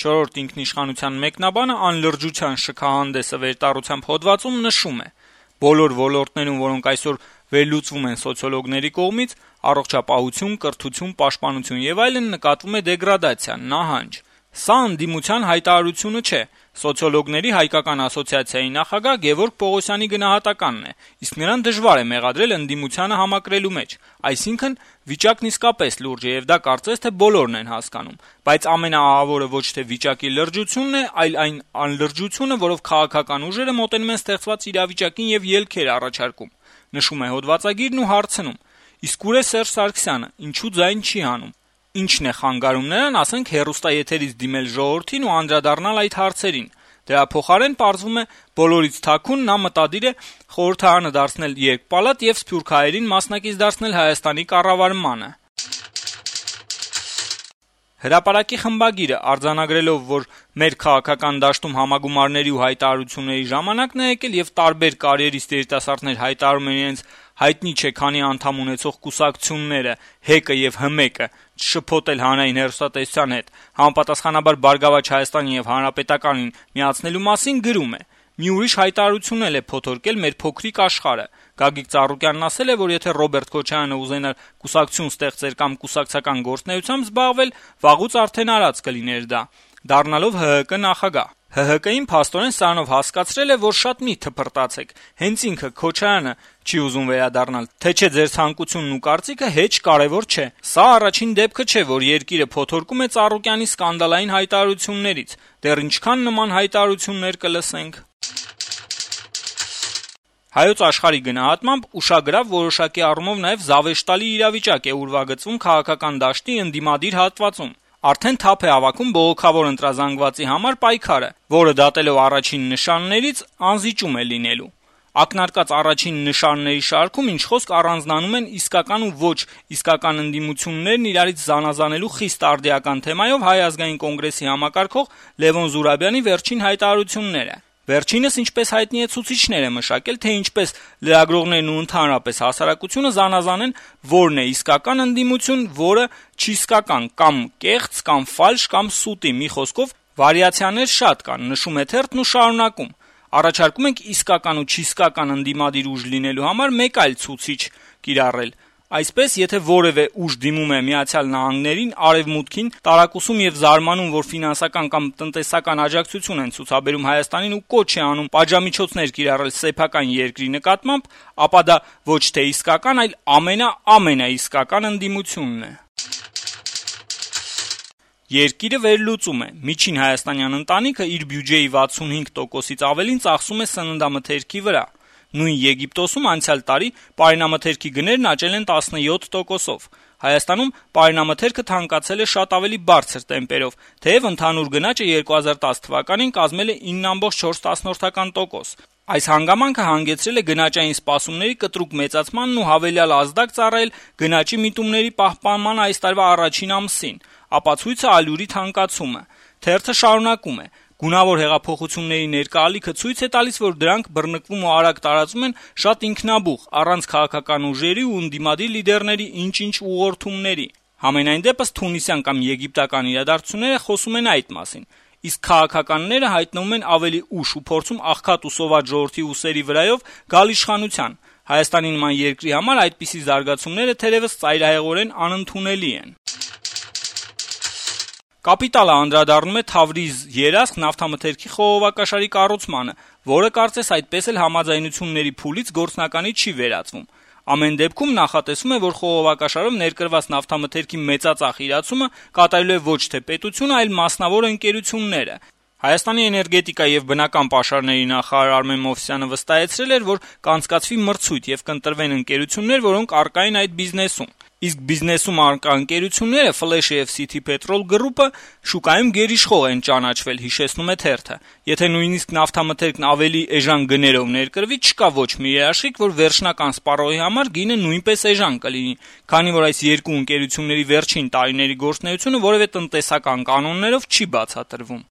4-րդ ինքնիշխանության մեկնաբանը անլրջության շքահանդեսը վերտառությամբ հոդվածում նշում է. «Բոլոր ոլորտներում, որոնք այսօր վերլուծվում են սոցիոլոգների կողմից, առողջապահություն, կրթություն, պաշտպանություն եւ այլն, նկատվում է դեգրադացիա, նահանջ։ Սա ընդդիմության հայտարարությունը չէ, սոցիոլոգների հայկական ասոցիացիայի նախագահ Գևորգ Պողոսյանի գնահատականն է, իսկ նրան դժվար է մեղադրել ընդդիմությանը համակրելու մեջ, այսինքն վիճակն իսկապես լուրջ է եւ դա կարծես թե բոլորն են հասկանում, բայց ամենաահավորը ոչ թե վիճակի լրջությունն է, այլ այն անլրջությունը, որով քաղաքական ուժերը մոտենում են ստեղծված իրավիճակին եւ ելքեր առաջարկում», նշում է հոդվածագիրն ու հարցնում. «Իսկ ուր է Սերժ Սարգսյանը, ինչու ձայն չի հանում։ Ինչն է խանգարում նրան, ասենք, հեռուստաեթերից դիմել ժողովրդին ու անդրադառնալ այդ հարցերին։ Դրա փոխարեն պարզվում է բոլորից թաքուն նա մտադիր է խորհրդարանը դարձնել երկպալատ եւ սփյուռքահայերին մասնակից դարձնել Հայաստանի կառավարմանը»։ Հրապարակի խմբագիրը արձանագրելով, որ մեր քաղաքական դաշտում համագումարների ու հայտարարությունների ժամանակն է եկել եւ տարբեր կարիերիստ երիտասարդներ հայտարարում են իրենց հայտնի չէ քանի անդամ ունեցող կուսակցությունները ՀԵԿ-ը եւ ՀՄԵԿ-ը շփոթել հանրային հեռուստատեսության հետ, համապատասխանաբար Բարգավաճ Հայաստանին եւ Հանրապետականին միացնելու մասին գրում է. «Մի ուրիշ հայտարարություն էլ է փոթորկել մեր փոքրիկ աշխարհը։ Գագիկ Ծառուկյանն ասել է, որ եթե Ռոբերտ Քոչարյանը ուզենար կուսակցություն ստեղծել կամ կուսակցական գործունեությամբ զբաղվել, վաղուց արդեն արած կլիներ դա, դառնալով ՀՀԿ նախագահ։ ՀՀԿ-ին փաստորեն սրանով հասկացրել է, որ շատ մի թփրտացեք, հենց ինքը Քոչարյանը չի ուզում վերադառնալ, թե չէ ձեր ցանկությունն ու կարծիքը հեչ կարեւոր չէ։ Սա առաջին դեպքը չէ, որ երկիրը փոթորկում է Ծառուկյանի սկանդալային հայտարարություններից, դեռ ինչքան նման հայտարարություններ կլսենք»։ Հայոց Աշխարհի գնահատմամբ ուշագրավ որոշակի առումով նաև զավեշտալի իրավիճակ է ուրվագծվում քաղաքական դաշտի ընդդիմադիր հատվածում։ Արդեն թափ է հավաքում բողոքավոր ընտրազանգվածի համար պայքարը, որը դատելով առաջին նշաններից անզիջում է լինելու։ Ակնարկած առաջին նշանների շարքում ինչ խոսք առանձնանում են իսկական ու ոչ իսկական ընդդիմություններն իրարից զանազանելու խիստ արդիական թեմայով Հայ ազգային կոնգրեսի համակարգող Լևոն Զուրաբյանի վերջին հայտարարությունները։ Վերջինս, ինչպես հայտնի է, ցուցիչներ է մշակել, թե ինչպես լրագրողներն ու ընդհանրապես հասարակությունը զանազանեն որն է իսկական ընդդիմություն, որը չիսկական, կամ կեղծ, կամ ֆալշ, կամ սուտի, մի խոսքով վարիացիաներ շատ կան, նշում է թերթն ու շարունակում. «Առաջարկում ենք իսկական ու չիսկական ընդդիմադիր ուժ լինելու համար մեկ այլ ցուցիչ կիրառել։ Այսպես, եթե որևէ ուժ դիմում է Միացյալ Նահանգներին, Արևմուտքին, տարակուսում եւ զարմանում, որ ֆինանսական կամ տնտեսական աջակցություն են ցուցաբերում Հայաստանին ու կոչ է անում պատժամիջոցներ կիրառել սեփական երկրի նկատմամբ, ապա դա ոչ թե իսկական, այլ ամենաիսկական ընդդիմությունն է»։ Երկիրը վերլուծում է. միջին հայաստանյան ընտանիքը իր բյուջեի 65%-ից ավելին ծախսում է սննդամթերքի վրա։ Նույն Եգիպտոսում անցյալ տարի պարենամթերքի գներն աճել են 17%-ով։ Հայաստանում պարենամթերքը թանկացել է շատ ավելի բարձր տեմպերով, թեև ընդհանուր գնաճը 2010 թվականին կազմել է 9.4%։ Այս հանգամանքը հանգեցրել է գնաճային սպասումների կտրուկ մեծացմանն ու հավելյալ ազդակ ծառայել գնաճի միտումների պահպանման այս տարվա առաջին ամսին, ապացույցը ալյուրի թանկացումը։ Թերթը շարունակում է. «Գունավոր հեղափոխությունների ներկա ալիքը ցույց է տալիս, որ դրանք բռնկվում ու արագ տարածվում են շատ ինքնաբուխ, առանց քաղաքական ուժերի ու ընդդիմադիր լիդերների ինչ-ինչ ուղղորդումների։ Համենայն դեպս թունիսյան կամ եգիպտական իրադարձությունները խոսում են այդ մասին։ Իսկ քաղաքականները հայտնվում են ավելի ուշ ու փորձում աղքատ ու սոված ժողովրդի ուսերի վրայով գալ իշխանության։ Հայաստանի նման երկրի համար այդպիսի զարգացումները թերևս ծայրահեղորեն անընդունելի են»։ Կապիտալը անդրադառնում է Թավրիզ երասխ նավթամթերքի խողովակաշարի կառուցմանը, որը կարծես այդպես էլ համաձայնությունների փուլից գործնականի չի վերածվում։ Ամեն դեպքում նախատեսվում է, որ խողովակաշարով ներկրված նավթամթերքի մեծածախ իրացումը կատարելու է ոչ թե պետությունը, այլ մասնավոր ընկերությունները։ Հայաստանի էներգետիկա եւ բնական պաշարների նախարար Արմեն Մովսյանը վստահեցրել էր, որ կանցկացվի մրցույթ եւ կընտրվեն ընկերություններ, որոնք առկա են այդ բիզնեսում։ Իսկ բիզնեսում առկա ընկերությունները Ֆլեշը եւ City Petrol Group-ը շուկայում գերիշխող են ճանաչվել, հիշեցնում է թերթը։ Եթե նույնիսկ նավթամթերքն ավելի էժան գներով ներկրվի, չկա ոչ մի երաշխիք, որ վերջնական սպառողի համար գինը նույնպես էժան կլինի, քանի որ այս երկու ընկերությունների վերջին տարիների գործունեությունը որևէ տնտեսական կանոններով չի բացատրվում։